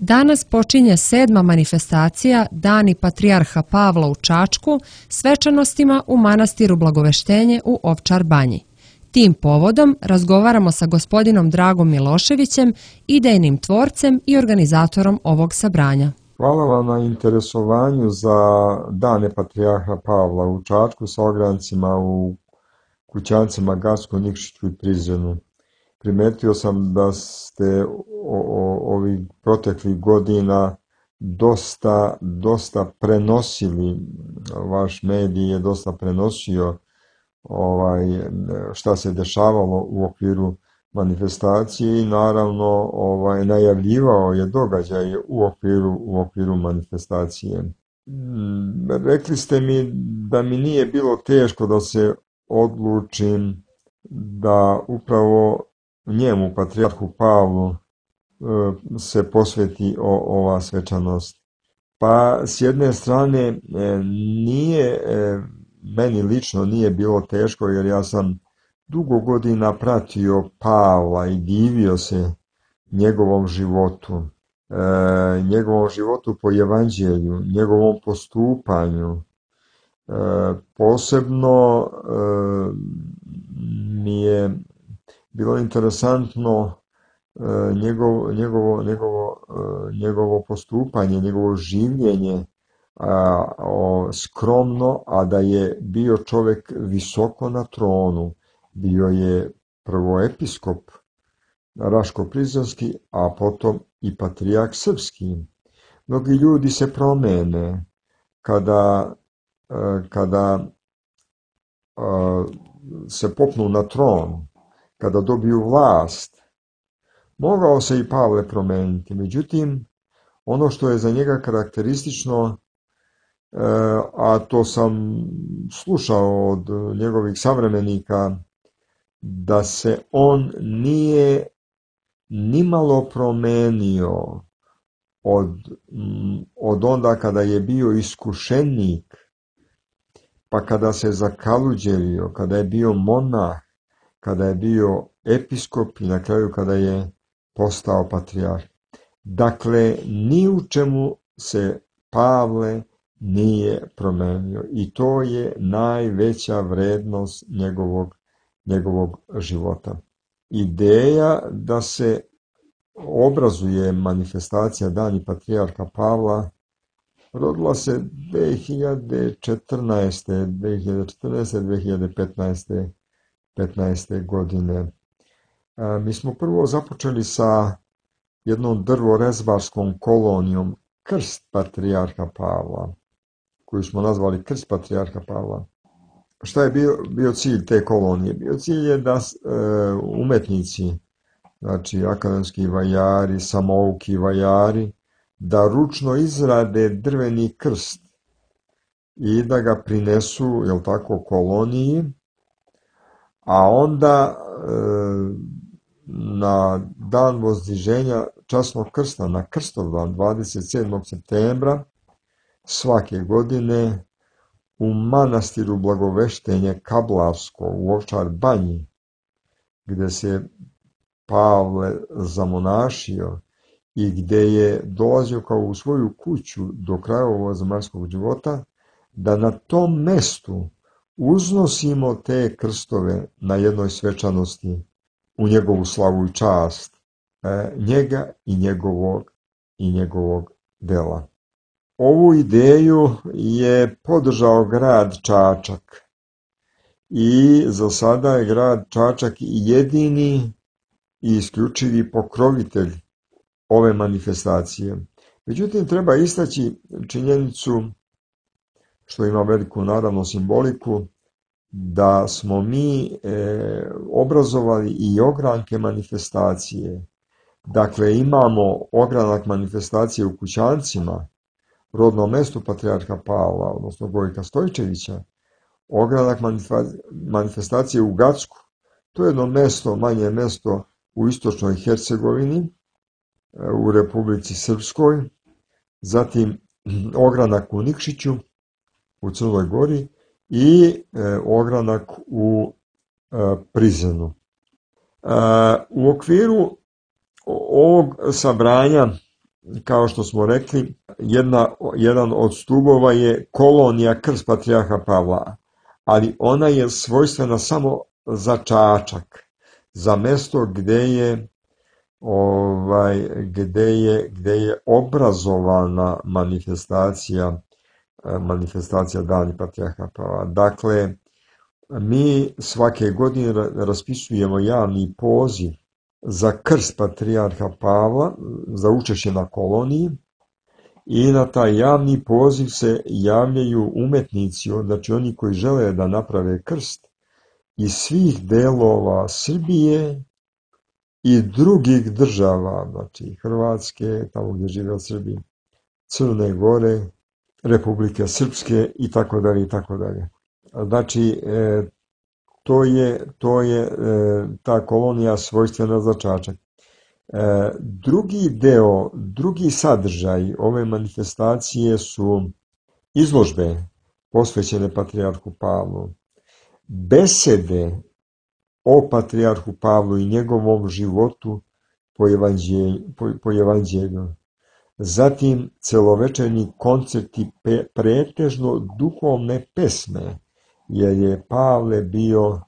Danas počinje 7. manifestacija Dani Patrijarha Pavla u Čačku svečanostima u manastiru Blagoveštenje u Ovčar Banji. Tim povodom razgovaramo sa gospodinom Dragom Miloševićem, idejnim tvorcem i organizatorom ovog sabranja. Hvala vam na interesovanju za Dane Patrijarha Pavla u Čačku sa ograncima u kućancima Gacko, Nikšiću i Prizrenu. Primetio sam da ste ovih proteklih godina dosta prenosili, vaš medij je dosta prenosio šta se dešavalo u okviru manifestacije i naravno najavljivao je događaje u okviru manifestacije. Rekli ste mi da mi nije bilo teško da se odlučim da upravo njemu, Patrijarhu Pavlu, se posveti ova svečanost. Pa s jedne strane meni lično nije bilo teško jer ja sam dugo godina pratio Pavla i divio se njegovom životu po evanđelju, njegovom postupanju. Posebno mi je bilo interesantno njegovo postupanje, njegovo življenje, skromno, a da je bio čovjek visoko na tronu. Bio je prvo episkop Raško-Prizrenski, a potom i patrijarh srpski. Mnogi ljudi se promene kada se popnu na tron, kada dobiju vlast. Mogao se i Pavle promeniti, međutim, ono što je za njega karakteristično, a to sam slušao od njegovih savremenika, da se on nije nimalo promenio od onda kada je bio iskušenik, pa kada se zakaluđerio, kada je bio monah, kada je bio episkop i na kraju kada je postao patrijarh. Dakle, ni u čemu se Pavle nije promenio i to je najveća vrednost njegovog života. Ideja da se obrazuje manifestacija Dani Patrijarha Pavla rodila se 2014-2015. godine. Mi smo prvo započeli sa jednom drvorezbarskom kolonijom Krst Patrijarha Pavla, koju smo nazvali Krst Patrijarha Pavla. Šta je bio cilj te kolonije? Bio cilj je da umetnici, znači akademski vajari, samouki vajari, da ručno izrade drveni krst i da ga prinesu, koloniji, a onda na dan vozdiženja časnog krsta, na Krstovdan 27. septembra svake godine u manastiru Blagoveštenje Kablarsko u Ovčar Banji, gde se Pavle zamonašio i gde je dolazio kao u svoju kuću do kraja ovog zemaljskog života, da na tom mestu uznosimo te krstove na jednoj svečanosti u njegovu slavu i čast, njega i njegovog dela. Ovu ideju je podržao grad Čačak i za sada je grad Čačak jedini i isključivi pokrovitelj ove manifestacije. Međutim, treba istaći činjenicu, što ima veliku naravno simboliku, da smo mi obrazovali i ogranke manifestacije. Dakle, imamo ogranak manifestacije u Kućancima, rodnom mestu Patrijarha Pavla, odnosno Gojka Stojčevića, ogranak manifestacije u Gacku, to je jedno mesto, manje mesto u istočnoj Hercegovini, u Republici Srpskoj, zatim ogranak u Nikšiću, u Crnoj Gori i ogranak u Prizrenu. U okviru ovog sabranja kao što smo rekli, jedan od stubova je kolonija Krst patrijarha Pavla, ali ona je svojstvena samo za Čačak, za mesto gde je obrazovana manifestacija Dani patrijarha Pavla. Dakle, mi svake godine raspisujemo javni poziv za krst patrijarha Pavla, za učešće na koloniji, i na taj javni poziv se javljaju umetnici, znači oni koji žele da naprave krst iz svih delova Srbije i drugih država, znači Hrvatske, tamo gdje žive Srbi, Crne Gore, Republike Srpske i tako dalje i tako dalje. Znači, to je ta kolonija svojstvena za Čačak. Drugi sadržaj ove manifestacije su izložbe posvećene patrijarhu Pavlu, besede o patrijarhu Pavlu i njegovom životu po evanđelju. Zatim celovečernji koncerti, pretežno duhovne pesme, jer je Pavle bio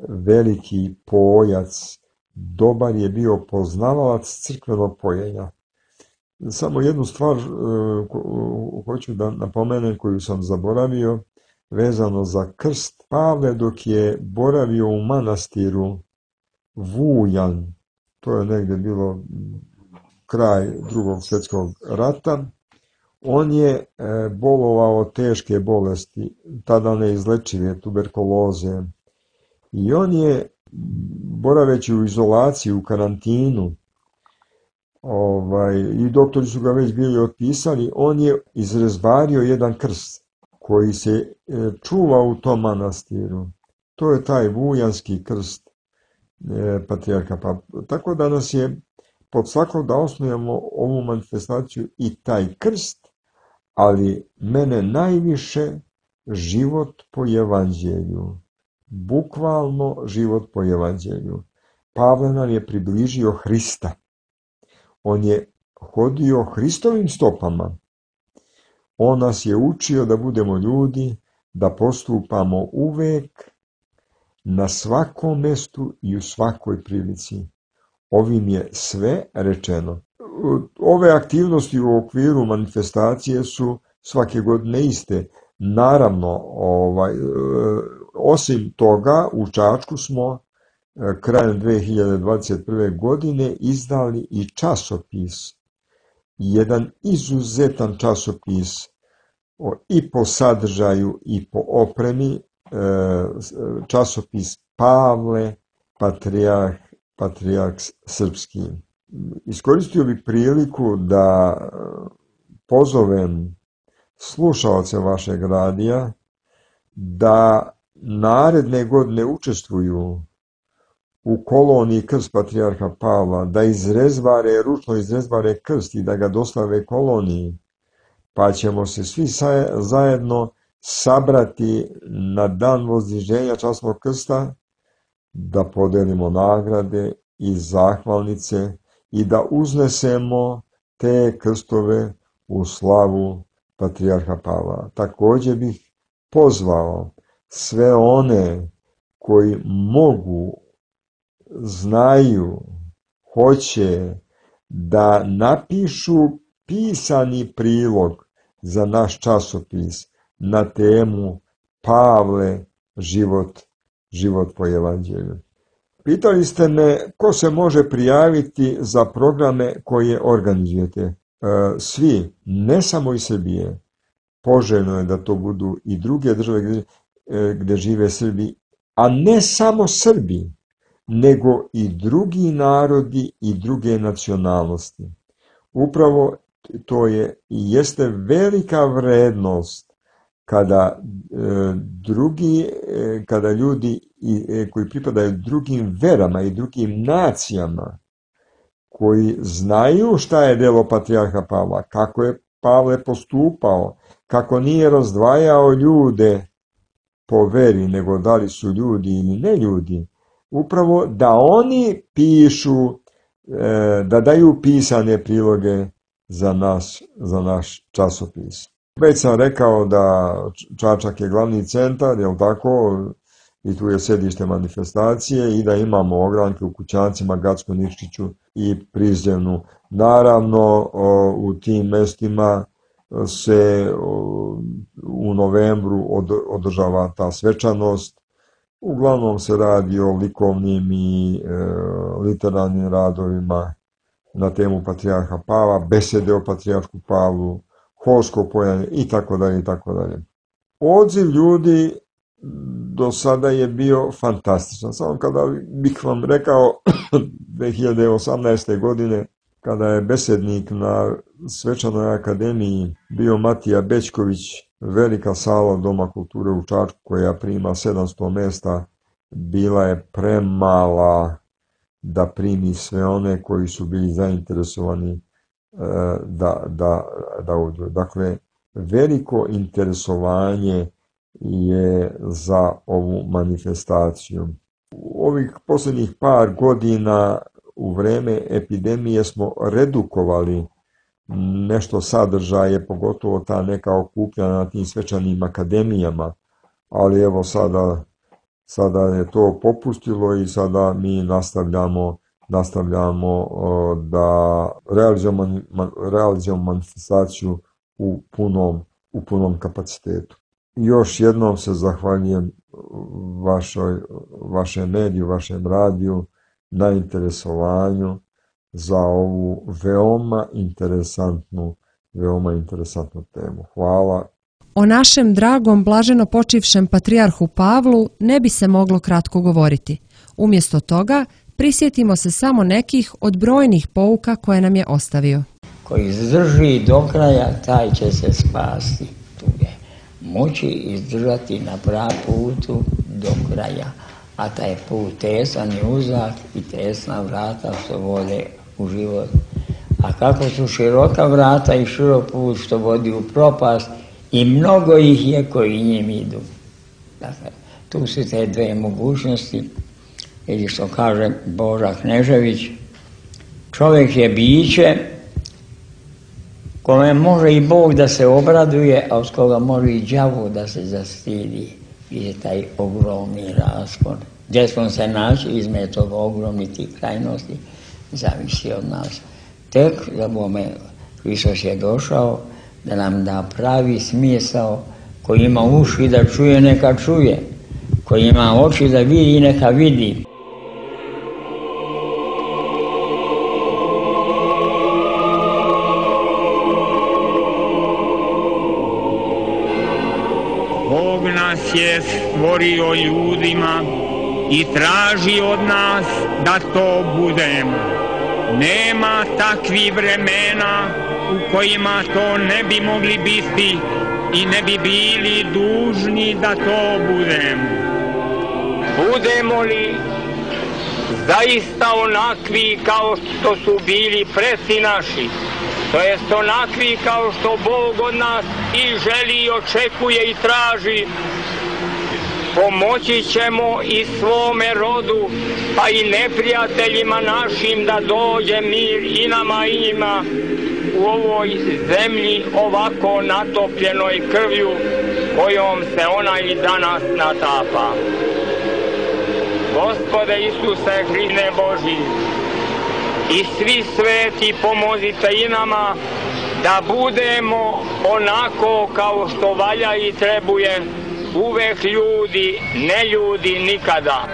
veliki pojac, dobar je bio poznavalac crkvenog pojenja. Samo jednu stvar hoću da napomenem koju sam zaboravio, vezano za krst. Pavle dok je boravio u manastiru Vujan, to je negdje bilo kraj Drugog svjetskog rata, on je bolovao teške bolesti, tada neizlečive, tuberkuloze, i on je, boraveći u izolaciji, u karantinu, i doktori su ga već bili otpisali, on je izrezbario jedan krst koji se čuva u tom manastiru. To je taj vujanski krst patrijarha Pavla. Tako da nas je pod svakog da osnujemo ovu manifestaciju i taj krst, ali mene najviše život po evanđelju. Bukvalno život po evanđelju. Pavle nam je približio Hrista. On je hodio Hristovim stopama. On nas je učio da budemo ljudi, da postupamo uvek, na svakom mestu i u svakoj prilici. Ovim je sve rečeno. Ove aktivnosti u okviru manifestacije su svake godine iste. Naravno, osim toga, u Čačku smo krajem 2021. godine izdali i časopis. Jedan izuzetan časopis i po sadržaju i po opremi, časopis Pavle, patrijarh srpski. Iskoristio bih priliku da pozovem slušaoce vašeg radija da naredne godine učestvuju u koloniji krst patrijarha Pavla, da ručno izrezbare krst i da ga dostave koloniji, pa ćemo se svi zajedno sabrati na dan vozdiženja časnog krsta, da podelimo nagrade i zahvalnice i da uznesemo te krstove u slavu patrijarha Pavla. Također bih pozvao sve one koji mogu, znaju, hoće da napišu pisani prilog za naš časopis na temu Pavle, život po evanđelju. Pitali ste me ko se može prijaviti za programe koje organizujete. Svi, ne samo iz Srbije. Poželjno je da to budu i druge države gdje žive Srbi, a ne samo Srbi, nego i drugi narodi i druge nacionalnosti. Upravo to je i jeste velika vrednost kada ljudi koji pripadaju drugim verama i drugim nacijama, koji znaju šta je delo patrijarha Pavla, kako je Pavle postupao, kako nije razdvajao ljude po veri, nego da li su ljudi ili ne ljudi, upravo da oni pišu, da daju pisane priloge za naš časopis. Već sam rekao da Čačak je glavni centar, jel tako, i tu je sedište manifestacije i da imamo ogranke u Kućancima, Gackom Nikšiću i Prizrenu. Naravno, u tim mestima se u novembru održava ta svečanost. Uglavnom se radi o likovnim i literarnim radovima na temu Patrijarha Pavla, besede o Patrijarhu Pavlu, holsko pojanje i tako dalje i tako dalje. Odziv ljudi do sada je bio fantastičan. Samo kada bih vam rekao 2018. godine, kada je besednik na Svečanoj akademiji bio Matija Bećković, velika sala Doma kulture u Čačku koja prima 700 mesta, bila je premala da primi sve one koji su bili zainteresovani da uđu. Dakle, veliko interesovanje je za ovu manifestaciju. U ovih posljednjih par godina u vreme epidemije smo redukovali nešto sadržaje, pogotovo ta neka okupljanja na tim svečanim akademijama, ali evo sada je to popustilo i sada mi nastavljamo da realizujemo manifestaciju u punom kapacitetu. Još jednom se zahvaljujem vašem mediju, vašem radiju na interesovanju za ovu veoma interesantnu temu. Hvala. O našem dragom blaženo počivšem patrijarhu Pavlu ne bi se moglo kratko govoriti. Umjesto toga, prisjetimo se samo nekih od brojnih pouka koje nam je ostavio. Koji izdrži do kraja, taj će se spasti. Tu je moći izdržati na pravom putu do kraja. A taj put tesan i uzak i tesna vrata što vode u život. A kako su široka vrata i širok put što vodi u propast, i mnogo ih je koji njim idu. Dakle, tu su te dve mogućnosti, ili što kaže Boža Knežević, čovjek je biće kome može i Bog da se obraduje, a od koga može i đavo da se zastidi. I taj ogromni raspon. Gdje smo se naći između toga ogromnih tih krajnosti, zavisi od nas. Tek za bome Hristos je došao da nam da pravi smisao, koji ima uši da čuje, neka čuje, koji ima oči da vidi, neka vidi. Bog nas je stvorio ljudima i traži od nas da to budemo. Nema takvih vremena u kojima to ne bi mogli biti i ne bi bili dužni da to budemo. Budemo li zaista onakvi kao što su bili preci naši, to jest onakvi kao što Bog od nas i želi i očekuje i traži, pomoći ćemo i svome rodu, pa i neprijateljima našim da dođe mir i nama i njima u ovoj zemlji ovako natopljenoj krvlju kojom se ona i danas natapa. Gospode Isuse Hriste Božji, i svi sveti pomozite i nama da budemo onako kao što valja i trebuje, uvek ljudi, ne ljudi nikada.